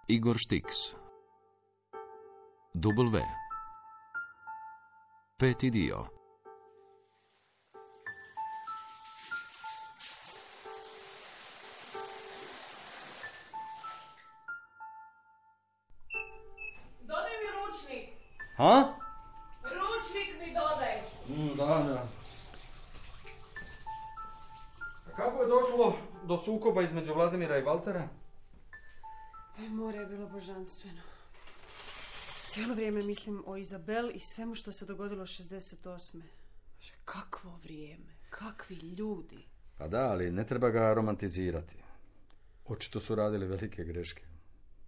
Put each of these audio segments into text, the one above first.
Igor Štiks. W. 5. dio. Dodaj mi ručnik. Ha? Ručnik mi dodaj. Da. Kako je došlo do sukoba između Vladimira i Valtera? More je bilo božanstveno. Cijelo vrijeme mislim o Izabel i svemu što se dogodilo 68. Kakvo vrijeme, kakvi ljudi. Pa da, ali ne treba ga romantizirati. Očito su radili velike greške.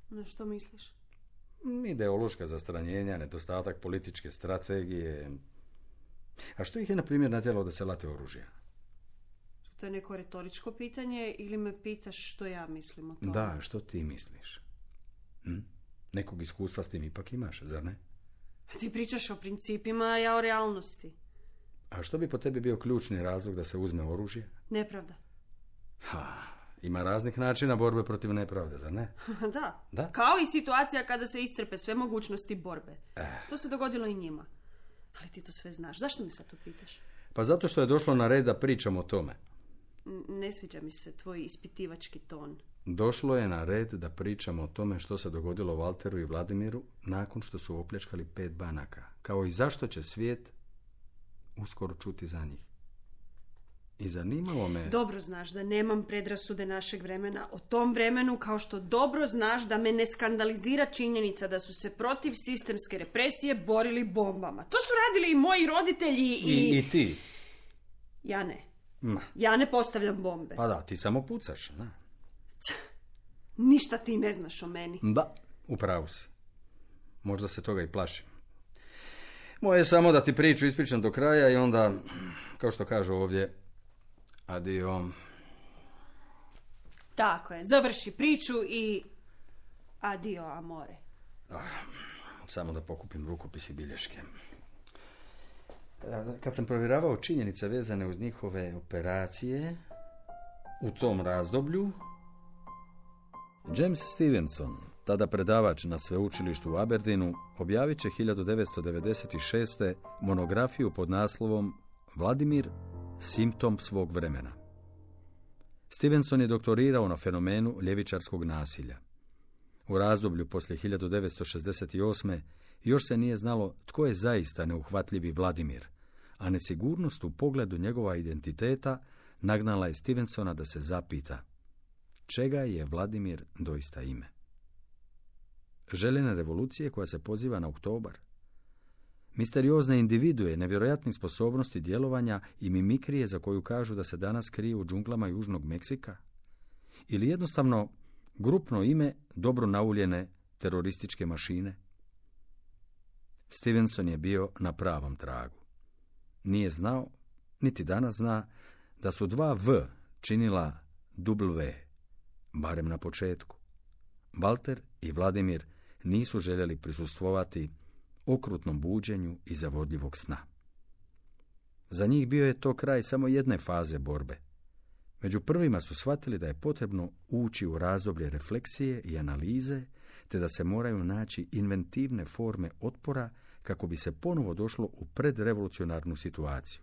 Na što misliš? Ideološka zastranjenja, nedostatak političke strategije. A što ih je, na primjer, natjeralo da se late oružja? To je neko retoričko pitanje ili me pitaš što ja mislim o tome? Da, što ti misliš? Nekog iskustva s tim ipak imaš, zar ne? Ti pričaš o principima, a ja o realnosti. A što bi po tebi bio ključni razlog da se uzme oružje? Nepravda. Ima raznih načina borbe protiv nepravde, zar ne? Da. Kao i situacija kada se iscrpe sve mogućnosti borbe. To se dogodilo i njima. Ali ti to sve znaš. Zašto mi sad to pitaš? Pa zato što je došlo na red da pričam o tome. Ne sviđa mi se tvoj ispitivački ton. Došlo je na red da pričamo o tome što se dogodilo Valteru i Vladimiru nakon što su opljačkali 5 banaka. Kao i zašto će svijet uskoro čuti za njih. I zanimalo me... Dobro znaš da nemam predrasude našeg vremena o tom vremenu, kao što dobro znaš da me ne skandalizira činjenica da su se protiv sistemske represije borili bombama. To su radili i moji roditelji I ti. Ja ne. Ja ne postavljam bombe. Pa da, ti samo pucaš, da. Ništa ti ne znaš o meni. Da, upravo si. Možda se toga i plašim. Moje je samo da ti priču ispričam do kraja i onda, kao što kažu ovdje, adio. Tako je, završi priču i adio, amore. Samo da pokupim rukopis i bilješke. Kad sam provjeravao činjenice vezane uz njihove operacije u tom razdoblju, James Stevenson, tada predavač na sveučilištu u Aberdeenu, objavit će 1996. monografiju pod naslovom Vladimir, simptom svog vremena. Stevenson je doktorirao na fenomenu ljevičarskog nasilja. U razdoblju poslije 1968. još se nije znalo tko je zaista neuhvatljivi Vladimir, a nesigurnost u pogledu njegova identiteta nagnala je Stevensona da se zapita čega je Vladimir doista ime. Željena revolucije koja se poziva na oktobar, misteriozne individue, nevjerojatnih sposobnosti djelovanja i mimikrije za koju kažu da se danas krije u džunglama Južnog Meksika, ili jednostavno grupno ime dobro nauljene terorističke mašine. Stevenson je bio na pravom tragu. Nije znao, niti danas zna, da su 2 V činila W, barem na početku. Valter i Vladimir nisu željeli prisustvovati okrutnom buđenju i zavodljivog sna. Za njih bio je to kraj samo jedne faze borbe. Među prvima su shvatili da je potrebno ući u razdoblje refleksije i analize, te da se moraju naći inventivne forme otpora kako bi se ponovo došlo u predrevolucionarnu situaciju.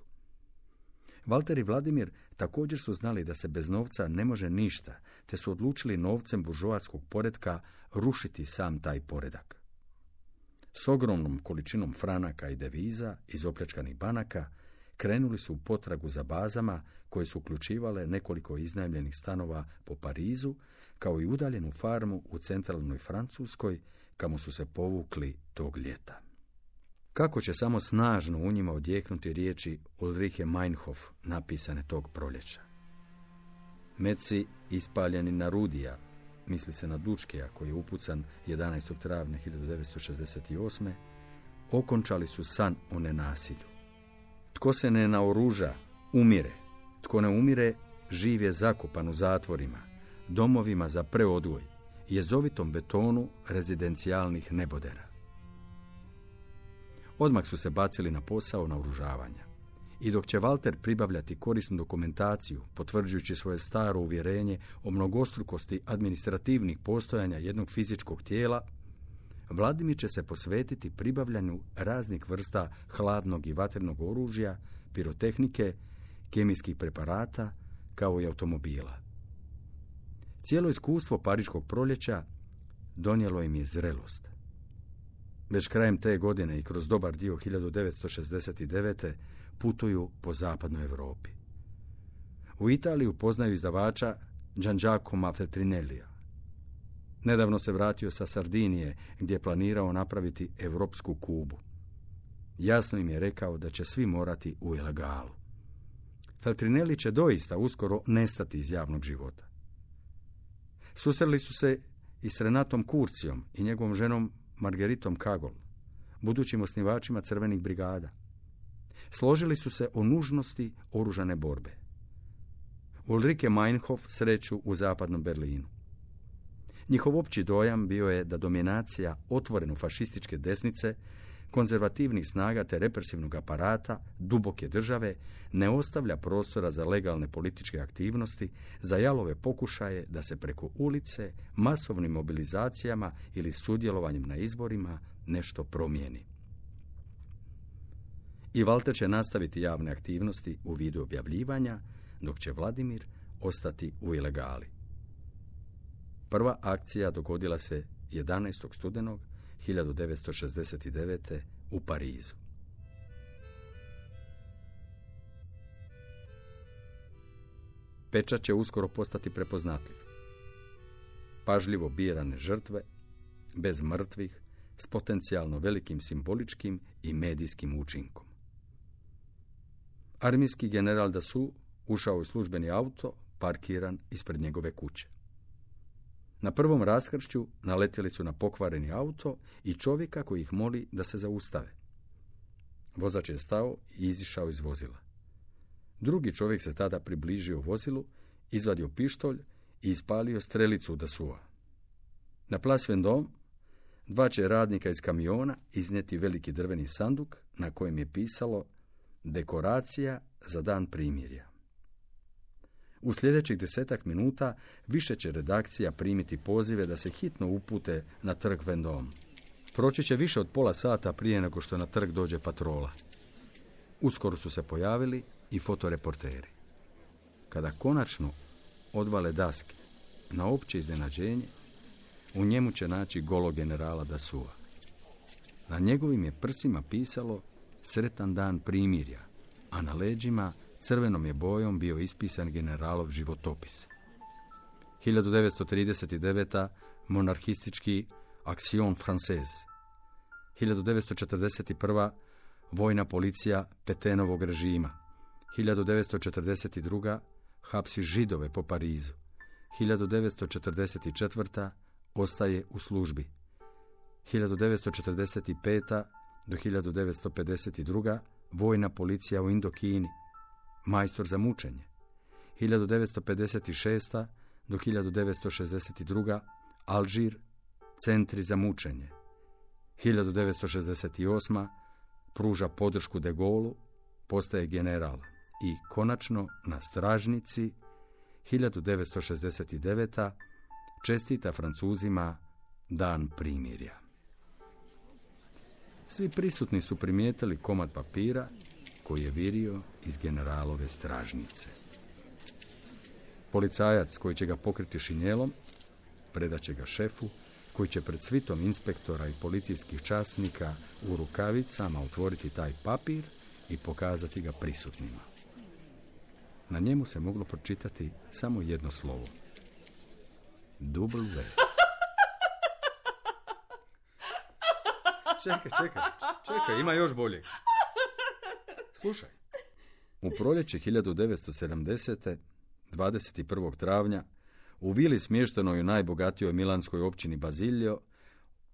Valter i Vladimir također su znali da se bez novca ne može ništa, te su odlučili novcem buržoatskog poretka rušiti sam taj poredak. S ogromnom količinom franaka i deviza iz opljačkanih banaka krenuli su u potragu za bazama koje su uključivale nekoliko iznajmljenih stanova po Parizu, kao i udaljenu farmu u centralnoj Francuskoj, kamo su se povukli tog ljeta. Kako će samo snažno u njima odjeknuti riječi Ulriche Meinhof napisane tog proljeća. Meci ispaljeni na Rudija, misli se na Dučkeja koji je upucan 11. travnja 1968. okončali su san o nenasilju. Tko se ne naoruža, umire. Tko ne umire, živ je zakopan u zatvorima, domovima za preodgoj, jezovitom betonu rezidencijalnih nebodera. Odmah su se bacili na posao naoružavanja. I dok će Walter pribavljati korisnu dokumentaciju, potvrđujući svoje staro uvjerenje o mnogostrukosti administrativnih postojanja jednog fizičkog tijela, Vladimir će se posvetiti pribavljanju raznih vrsta hladnog i vatrenog oružja, pirotehnike, kemijskih preparata, kao i automobila. Cijelo iskustvo Pariškog proljeća donijelo im je zrelost. Već krajem te godine i kroz dobar dio 1969. putuju po zapadnoj Europi. U Italiju poznaju izdavača Gian-Giacomo Feltrinellija. Nedavno se vratio sa Sardinije, gdje je planirao napraviti europsku Kubu. Jasno im je rekao da će svi morati u ilegalu. Feltrinelli će doista uskoro nestati iz javnog života. Susreli su se i s Renatom Kurcijom i njegovom ženom Margeritom Kagol, budućim osnivačima crvenih brigada. Složili su se o nužnosti oružane borbe. Ulrike Meinhof sreću u zapadnom Berlinu. Njihov opći dojam bio je da dominacija otvoreno fašističke desnice, konzervativnih snaga te represivnog aparata, duboke države, ne ostavlja prostora za legalne političke aktivnosti, za jalove pokušaje da se preko ulice, masovnim mobilizacijama ili sudjelovanjem na izborima nešto promijeni. I Walter će nastaviti javne aktivnosti u vidu objavljivanja, dok će Vladimir ostati u ilegali. Prva akcija dogodila se 11. studenog 1969. u Parizu. Pečat će uskoro postati prepoznatljiv. Pažljivo birane žrtve, bez mrtvih, s potencijalno velikim simboličkim i medijskim učinkom. Armijski general Dassou ušao u službeni auto, parkiran ispred njegove kuće. Na prvom raskršću naletjeli su na pokvareni auto i čovjeka koji ih moli da se zaustave. Vozač je stao i izišao iz vozila. Drugi čovjek se tada približio vozilu, izvadio pištolj i ispalio strelicu u Dassoua. Na Place Vendôme dva će radnika iz kamiona iznijeti veliki drveni sanduk na kojem je pisalo dekoracija za dan primirja. U sljedećih 10 minuta više će redakcija primiti pozive da se hitno upute na trg Vendôme. Proći će više od pola sata prije nego što na trg dođe patrola. Uskoro su se pojavili i fotoreporteri. Kada konačno odvale daske, na opće iznenađenje, u njemu će naći golog generala Dassoua. Na njegovim je prsima pisalo sretan dan primirja, a na leđima crvenom je bojom bio ispisan generalov životopis. 1939. monarhistički Action Française. 1941. vojna policija Petenovog režima. 1942. hapsi Židove po Parizu. 1944. ostaje u službi. 1945. do 1952. vojna policija u Indokini. Majstor za mučenje. 1956. do 1962. Alžir, centri za mučenje. 1968. pruža podršku De Gaullu, postaje general. I konačno na stražnici 1969. čestita Francuzima dan primirja. Svi prisutni su primijetili komad papira koji je virio iz generalove stražnice. Policajac koji će ga pokriti šinjelom predaće ga šefu, koji će pred svitom inspektora i policijskih časnika u rukavicama otvoriti taj papir i pokazati ga prisutnima. Na njemu se moglo pročitati samo jedno slovo. W. Čekaj, ima još bolje. Slušaj. U proljeće 1970. 21. travnja u vili smještenoj u najbogatijoj milanskoj općini Basilio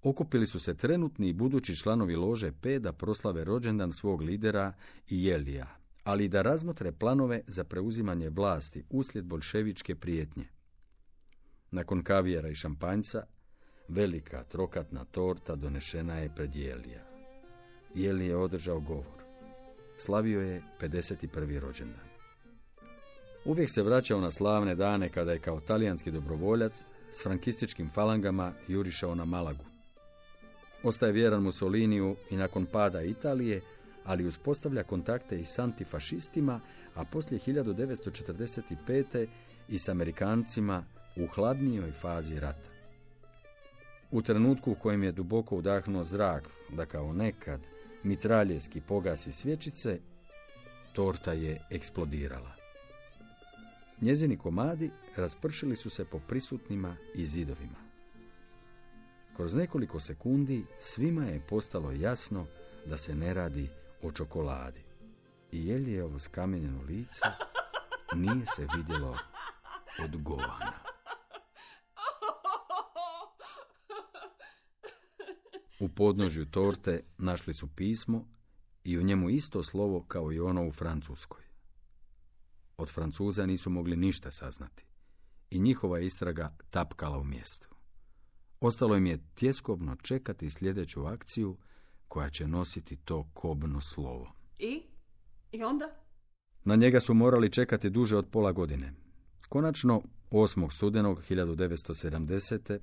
okupili su se trenutni i budući članovi lože P da proslave rođendan svog lidera Jelija, ali i da razmotre planove za preuzimanje vlasti uslijed boljševičke prijetnje. Nakon kavijera i šampanjca, velika trokatna torta donešena je pred Jelija. Jeli je održao govor. slavio je 51. rođendan. Uvijek se vraćao na slavne dane kada je kao talijanski dobrovoljac s frankističkim falangama jurišao na Malagu. Ostaje vjeran Mussoliniju i nakon pada Italije, ali uspostavlja kontakte i s antifašistima, a poslije 1945. i s Amerikancima u hladnijoj fazi rata. U trenutku u kojem je duboko udahnuo zrak da kao nekad mitraljevski pogasi svječice, torta je eksplodirala. Njezini komadi raspršili su se po prisutnima i zidovima. Kroz nekoliko sekundi svima je postalo jasno da se ne radi o čokoladi. I Jeljevo skamenjeno lice nije se vidjelo od govana. U podnožju torte našli su pismo i u njemu isto slovo kao i ono u Francuskoj. Od Francuza nisu mogli ništa saznati i njihova istraga tapkala u mjestu. Ostalo im je tjeskobno čekati sljedeću akciju koja će nositi to kobno slovo. I onda? Na njega su morali čekati duže od pola godine. Konačno, 8. studenog 1970.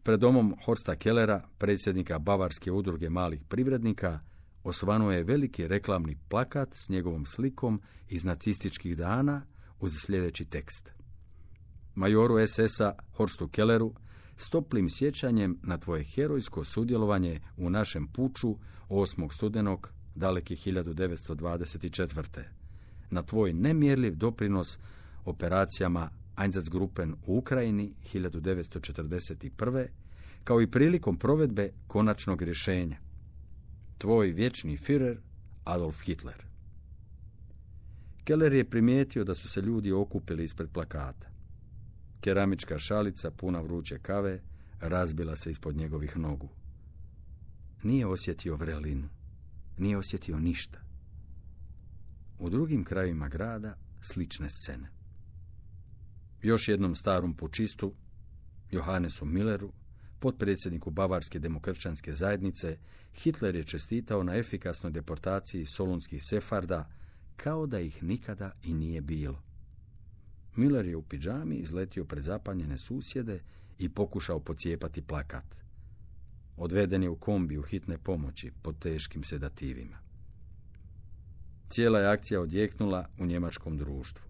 pred domom Horsta Kellera, predsjednika Bavarske udruge malih privrednika, osvanuo je veliki reklamni plakat s njegovom slikom iz nacističkih dana uz sljedeći tekst. Majoru SS-a Horstu Kelleru, s toplim sjećanjem na tvoje herojsko sudjelovanje u našem puču 8. studenog daleki 1924. Na tvoj nemjerljiv doprinos operacijama Einsatzgruppen u Ukrajini 1941. kao i prilikom provedbe konačnog rješenja. Tvoj vječni Führer Adolf Hitler. Keller je primijetio da su se ljudi okupili ispred plakata. Keramička šalica puna vruće kave razbila se ispod njegovih nogu. Nije osjetio vrelinu, nije osjetio ništa. U drugim krajevima grada slične scene. Još jednom starom pučistu, Johannesu Milleru, potpredsjedniku Bavarske demokršćanske zajednice, Hitler je čestitao na efikasnoj deportaciji solunskih sefarda kao da ih nikada i nije bilo. Miller je u pidžami izletio pred zapanjene susjede i pokušao pocijepati plakat. Odveden je u kombiju hitne pomoći pod teškim sedativima. Cijela je akcija odjeknula u njemačkom društvu.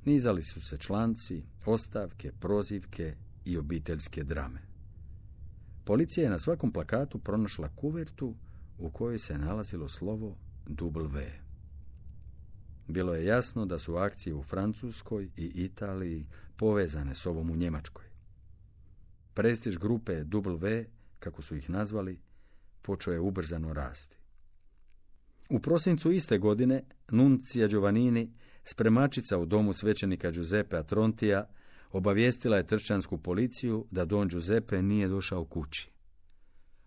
Nizali su se članci, ostavke, prozivke i obiteljske drame. Policija je na svakom plakatu pronašla kuvertu u kojoj se nalazilo slovo W. Bilo je jasno da su akcije u Francuskoj i Italiji povezane s ovom u Njemačkoj. Prestiž grupe W, kako su ih nazvali, počeo je ubrzano rasti. U prosincu iste godine Nunzia Giovannini, spremačica u domu svećenika Giuseppea Trontija, obavijestila je tršćansku policiju da Don Giuseppe nije došao kući.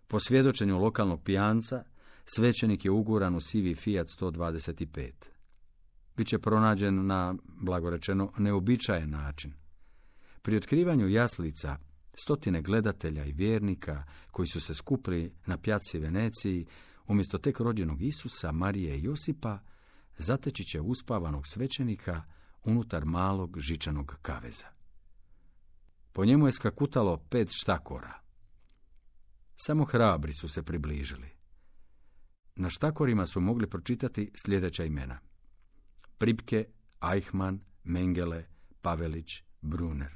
Po svjedočenju lokalnog pijanca, svećenik je uguran u sivi Fiat 125. Biće pronađen na, blagorečeno, neobičajen način. Pri otkrivanju jaslica, stotine gledatelja i vjernika koji su se skupili na pjaci Veneciji, umjesto tek rođenog Isusa, Marije i Josipa, zateći će uspavanog svećenika unutar malog žičanog kaveza. Po njemu je skakutalo 5 štakora. Samo hrabri su se približili. Na štakorima su mogli pročitati sljedeća imena: Pripke, Eichmann, Mengele, Pavelić, Brunner.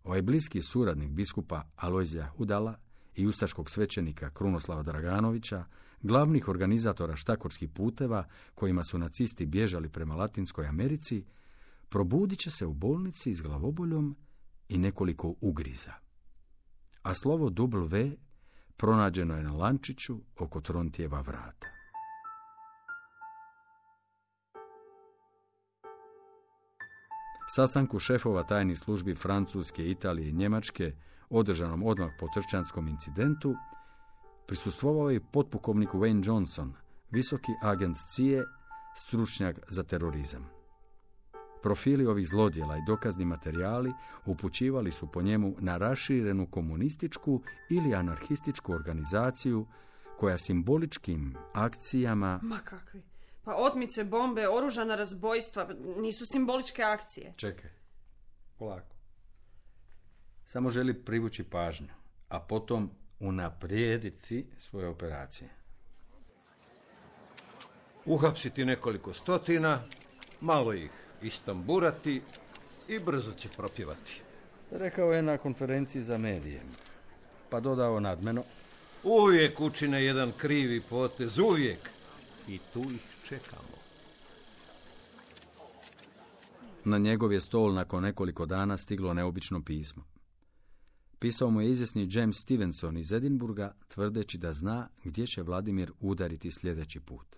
Ovaj bliski suradnik biskupa Alojzija Hudala i ustaškog svećenika Krunoslava Draganovića, glavnih organizatora štakorskih puteva kojima su nacisti bježali prema Latinskoj Americi, probudit će se u bolnici s glavoboljom i nekoliko ugriza. A slovo W pronađeno je na lančiću oko Trontijeva vrata. Sastanku šefova tajnih službi Francuske, Italije i Njemačke, održanom odmah po tršćanskom incidentu, prisustvovao je potpukovnik Wayne Johnson, visoki agent CIA, stručnjak za terorizam. Profili ovih zlodjela i dokazni materijali upućivali su po njemu na raširenu komunističku ili anarhističku organizaciju koja simboličkim akcijama... Ma kakvi? Pa otmice, bombe, oružana razbojstva nisu simboličke akcije. Čekaj, polako. Samo želi privući pažnju, a potom unaprijediti svoje operacije. Uhapsiti nekoliko stotina, malo ih istamburati i brzo će propjevati. Rekao je na konferenciji za medije, pa dodao nadmeno: Uvijek učine jedan krivi potez, uvijek. I tu ih čekamo. Na njegov je stol nakon nekoliko dana stiglo neobično pismo. Pisao mu je izvjesni James Stevenson iz Edinburga, tvrdeći da zna gdje će Vladimir udariti sljedeći put.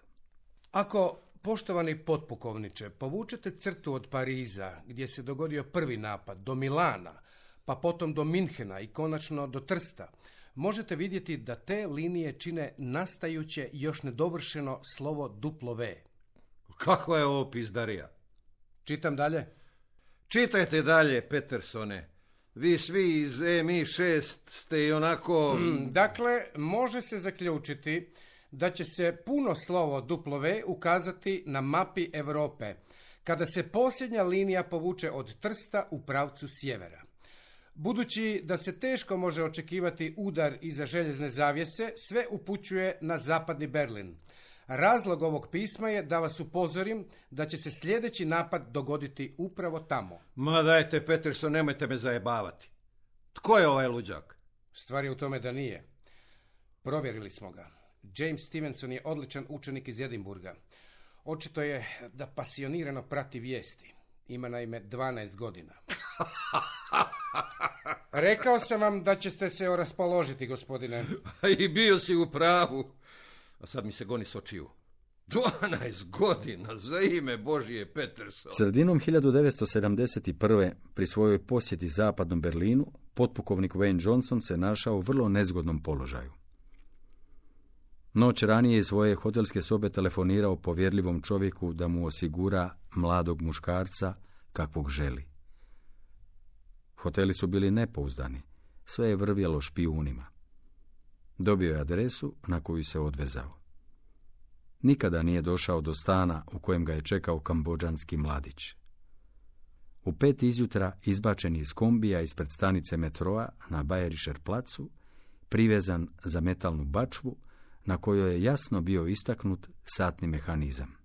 Ako, poštovani potpukovniče, povučete crtu od Pariza, gdje se dogodio prvi napad, do Milana, pa potom do Minhena i konačno do Trsta, možete vidjeti da te linije čine nastajuće još nedovršeno slovo W. Kakva je ovo pizdarija? Čitam dalje. Čitajte dalje, Petersone. Vi svi iz MI6 ste i onako... Dakle, može se zaključiti da će se puno slovo W ukazati na mapi Europe, kada se posljednja linija povuče od Trsta u pravcu sjevera. Budući da se teško može očekivati udar iza željezne zavjese, sve upućuje na zapadni Berlin. Razlog ovog pisma je da vas upozorim da će se sljedeći napad dogoditi upravo tamo. Ma dajte, Peterson, nemojte me zajebavati. Tko je ovaj luđak? Stvar je u tome da nije. Provjerili smo ga. James Stevenson je odličan učenik iz Edinburga. Očito je da pasionirano prati vijesti. Ima naime 12 godina. Rekao sam vam da ćete se raspoložiti, gospodine. I bio si u pravu. A sad mi se goni s očiju. 12 godina, za ime Božije, Peterson. Sredinom 1971. pri svojoj posjeti zapadnom Berlinu, potpukovnik Wayne Johnson se našao u vrlo nezgodnom položaju. Noć ranije iz svoje hotelske sobe telefonirao povjerljivom čovjeku da mu osigura mladog muškarca kakvog želi. Hoteli su bili nepouzdani, sve je vrvjelo špijunima. Dobio je adresu na koju se odvezao. Nikada nije došao do stana u kojem ga je čekao kambodžanski mladić. U 5 izjutra izbačen iz kombija ispred stanice metroa na Bayerischer placu, privezan za metalnu bačvu na kojoj je jasno bio istaknut satni mehanizam.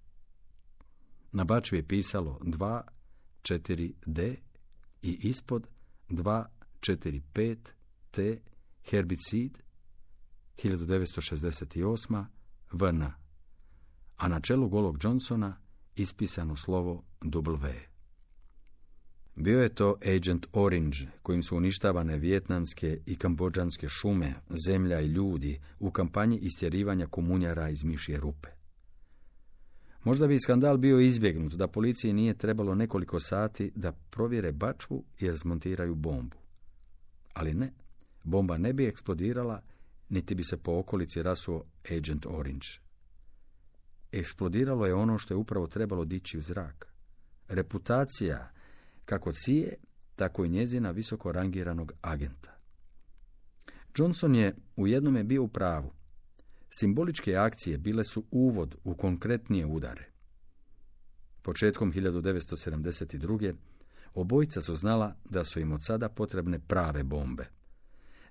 Na bačvi je pisalo 2-4-D i ispod 2-4-5-T herbicid 1968 VN, a na čelu golog Johnsona ispisano slovo W. Bio je to Agent Orange, kojim su uništavane vijetnamske i kambodžanske šume, zemlja i ljudi u kampanji istjerivanja komunjara iz mišje rupe. Možda bi skandal bio izbjegnut da policiji nije trebalo nekoliko sati da provjere bačvu jer zmontiraju bombu. Ali ne, bomba ne bi eksplodirala, niti bi se po okolici rasuo Agent Orange. Eksplodiralo je ono što je upravo trebalo dići u zrak. Reputacija kako CIA, tako i njezina visoko rangiranog agenta. Johnson je u jednome bio u pravu. Simboličke akcije bile su uvod u konkretnije udare. Početkom 1972. obojica su znala da su im od sada potrebne prave bombe.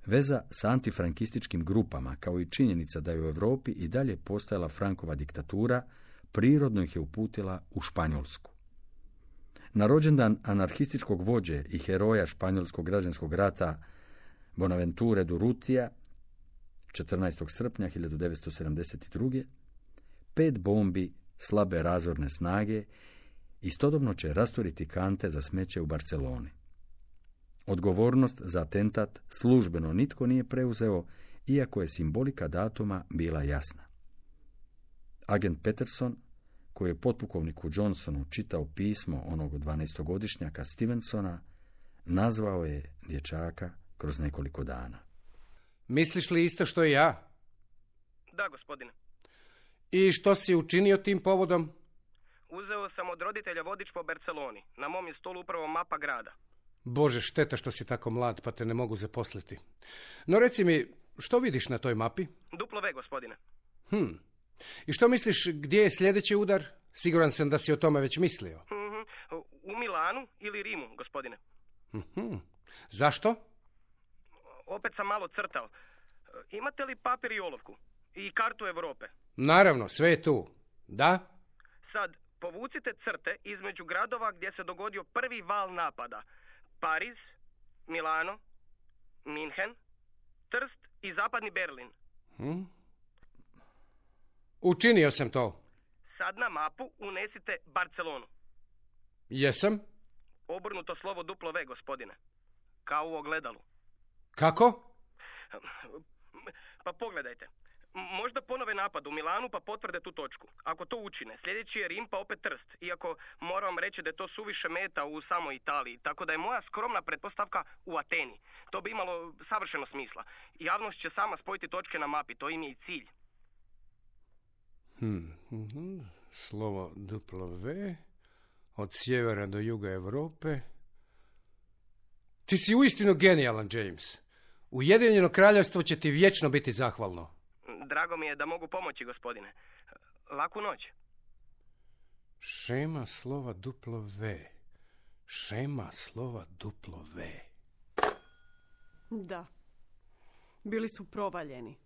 Veza s antifrankističkim grupama, kao i činjenica da je u Europi i dalje postojala Frankova diktatura, prirodno ih je uputila u Španjolsku. Na rođendan anarhističkog vođe i heroja španjolskog građanskog rata Bonaventure Durrutija, 14. srpnja 1972. 5 bombi slabe razorne snage istodobno će rasturiti kante za smeće u Barceloni. Odgovornost za atentat službeno nitko nije preuzeo, iako je simbolika datuma bila jasna. Agent Peterson, koji je potpukovniku Johnsonu čitao pismo onog 12-godišnjaka Stevensona, nazvao je dječaka kroz nekoliko dana. Misliš li isto što i ja? Da, gospodine. I što si učinio tim povodom? Uzeo sam od roditelja vodič po Barceloni. Na mom je stolu upravo mapa grada. Bože, šteta što si tako mlad, pa te ne mogu zaposliti. No reci mi, što vidiš na toj mapi? W, gospodine. I što misliš, gdje je sljedeći udar? Siguran sam da si o tome već mislio. U Milanu ili Rimu, gospodine. Zašto? Opet sam malo crtao. Imate li papir i olovku? I kartu Europe? Naravno, sve je tu. Da? Sad, povucite crte između gradova gdje se dogodio prvi val napada. Pariz, Milano, Minhen, Trst i zapadni Berlin. Učinio sam to. Sad na mapu unesite Barcelonu. Jesam? Obrnuto slovo W, gospodine. Kao u ogledalu. Kako? Pa pogledajte. Možda ponove napad u Milanu pa potvrde tu točku. Ako to učine, sljedeći je Rim pa opet Trst. Iako moram reći da je to suviše meta u samoj Italiji. Tako da je moja skromna pretpostavka u Ateni. To bi imalo savršeno smisla. Javnost će sama spojiti točke na mapi. To im je i cilj. Slovo W od sjevera do juga Europe. Ti si uistinu genijalan, James. Ujedinjeno kraljevstvo će ti vječno biti zahvalno. Drago mi je da mogu pomoći, gospodine. Laku noć. Šema slova W. Šema slova W. Da. Bili su provaljeni.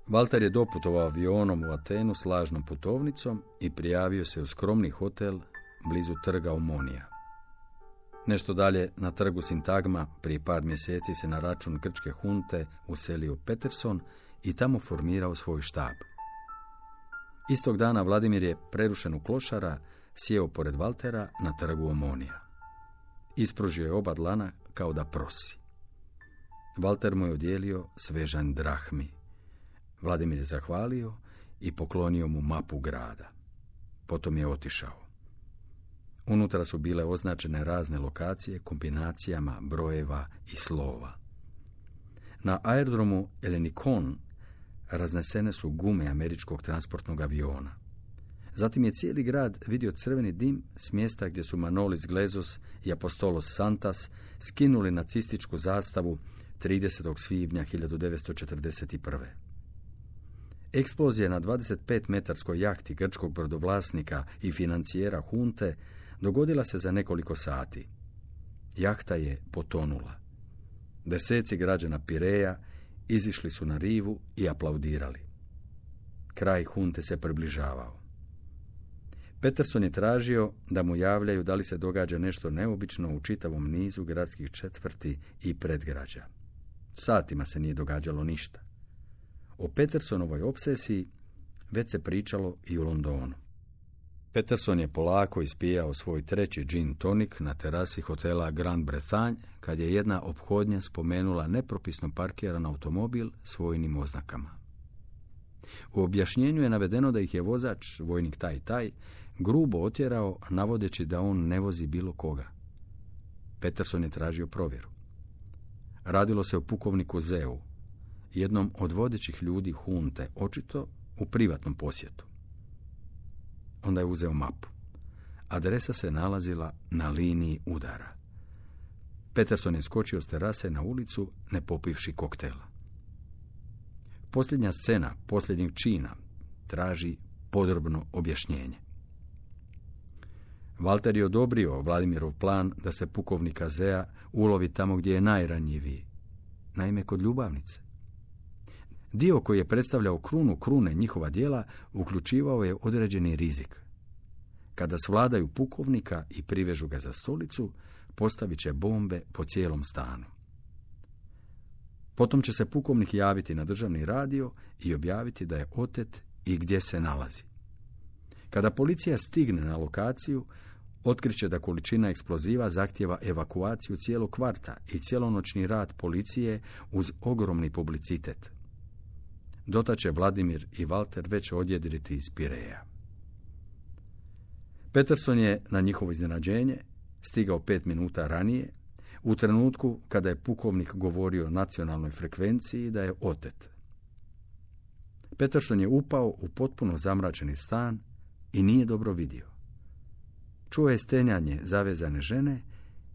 Walter je doputovao avionom u Atenu s lažnom putovnicom i prijavio se u skromni hotel blizu trga Omonija. Nešto dalje, na trgu Sintagma, prije par mjeseci se na račun grčke hunte uselio Peterson i tamo formirao svoj štab. Istog dana Vladimir je, prerušen u klošara, sjeo pored Valtera na trgu Omonija. Ispružio je oba dlana kao da prosi. Valter mu je odjelio svežanj drahmi. Vladimir je zahvalio i poklonio mu mapu grada. Potom je otišao. Unutra su bile označene razne lokacije kombinacijama brojeva i slova. Na aerodromu Elenikon raznesene su gume američkog transportnog aviona. Zatim je cijeli grad vidio crveni dim s mjesta gdje su Manolis Glezos i Apostolos Santas skinuli nacističku zastavu 30. svibnja 1941. Eksplozija na 25-metarskoj jahti grčkog brodovlasnika i financijera hunte dogodila se za nekoliko sati. Jahta je potonula. Deseci građana Pireja izišli su na rivu i aplaudirali. Kraj hunte se približavao. Peterson je tražio da mu javljaju da li se događa nešto neobično u čitavom nizu gradskih četvrti i predgrađa. Satima se nije događalo ništa. O Petersonovoj opsesiji već se pričalo i u Londonu. Peterson je polako ispijao svoj treći gin tonik na terasi hotela Grand Bretagne kad je jedna ophodnja spomenula nepropisno parkiran automobil s vojnim oznakama. U objašnjenju je navedeno da ih je vozač, vojnik taj, grubo otjerao navodeći da on ne vozi bilo koga. Peterson je tražio provjeru. Radilo se o pukovniku Zeu, jednom od vodećih ljudi hunte, očito u privatnom posjetu. Onda je uzeo mapu. Adresa se nalazila na liniji udara. Peterson je skočio s terase na ulicu, ne popivši koktela. Posljednja scena posljednjeg čina traži podrobno objašnjenje. Valter je odobrio Vladimirov plan da se pukovnika Zea ulovi tamo gdje je najranjiviji, naime kod ljubavnice. Dio koji je predstavljao krunu krune njihova djela uključivao je određeni rizik. Kada svladaju pukovnika i privežu ga za stolicu, postavit će bombe po cijelom stanu. Potom će se pukovnik javiti na državni radio i objaviti da je otet i gdje se nalazi. Kada policija stigne na lokaciju, otkriće da količina eksploziva zahtijeva evakuaciju cijelog kvarta i cijelonoćni rad policije uz ogromni publicitet. Dotad će Vladimir i Valter već odjedriti iz Pireja. Peterson je na njihovo iznenađenje stigao 5 minuta ranije, u trenutku kada je pukovnik govorio o nacionalnoj frekvenciji da je otet. Peterson je upao u potpuno zamračeni stan i nije dobro vidio. Čuo je stenjanje zavezane žene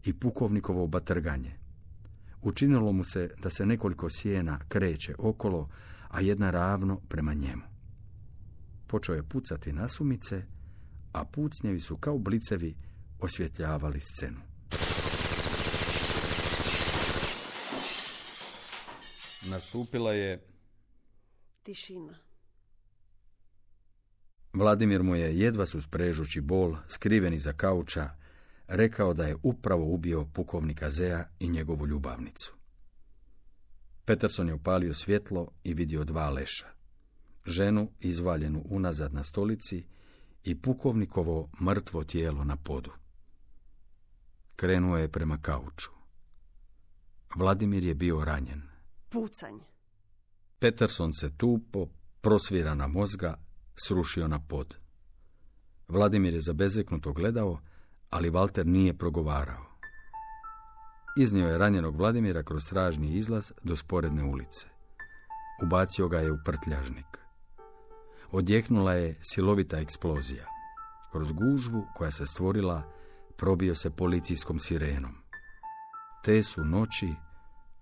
i pukovnikovo batrganje. Učinilo mu se da se nekoliko sjena kreće okolo, a jedna ravno prema njemu. Počeo je pucati nasumice, a pucnjevi su kao blicevi osvjetljavali scenu. Nastupila je tišina. Vladimir mu je, jedva susprežući bol, skriven iza kauča, rekao da je upravo ubio pukovnika Zea i njegovu ljubavnicu. Peterson je upalio svjetlo i vidio 2 leša. Ženu izvaljenu unazad na stolici i pukovnikovo mrtvo tijelo na podu. Krenuo je prema kauču. Vladimir je bio ranjen. Pucanje. Peterson se tupo, prosvirana mozga, srušio na pod. Vladimir je zabezeknuto gledao, ali Valter nije progovarao. Iznio je ranjenog Vladimira kroz stražni izlaz do sporedne ulice. Ubacio ga je u prtljažnik. Odjeknula je silovita eksplozija. Kroz gužvu koja se stvorila probio se policijskom sirenom. Te su noći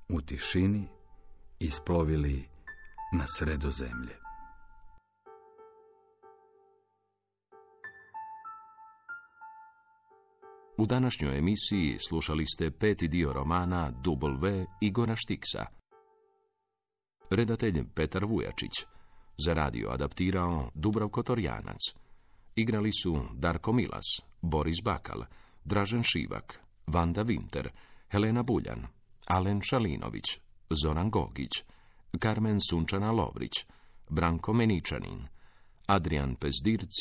u tišini isplovili na Sredozemlje. U današnjoj emisiji slušali ste 5. dio romana W. Igora Štiksa. Redatelj Petar Vujačić. Za radio adaptirao Dubravko Torjanac. Igrali su Darko Milas, Boris Bakal, Dražen Šivak, Vanda Vinter, Helena Buljan, Alen Šalinović, Zoran Gogić, Karmen Sunčana Lovrić, Branko Meničanin, Adrian Pezdirc,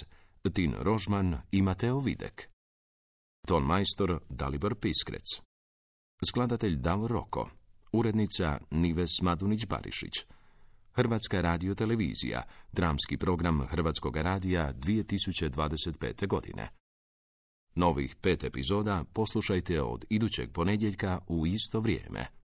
Tin Rožman i Mateo Videk. Ton majstor Dalibor Piskrec. Skladatelj Davor Roko. Urednica Nives Madunić-Barišić. Hrvatska radiotelevizija, dramski program Hrvatskog radija 2025. godine. Novih 5 epizoda poslušajte od idućeg ponedjeljka u isto vrijeme.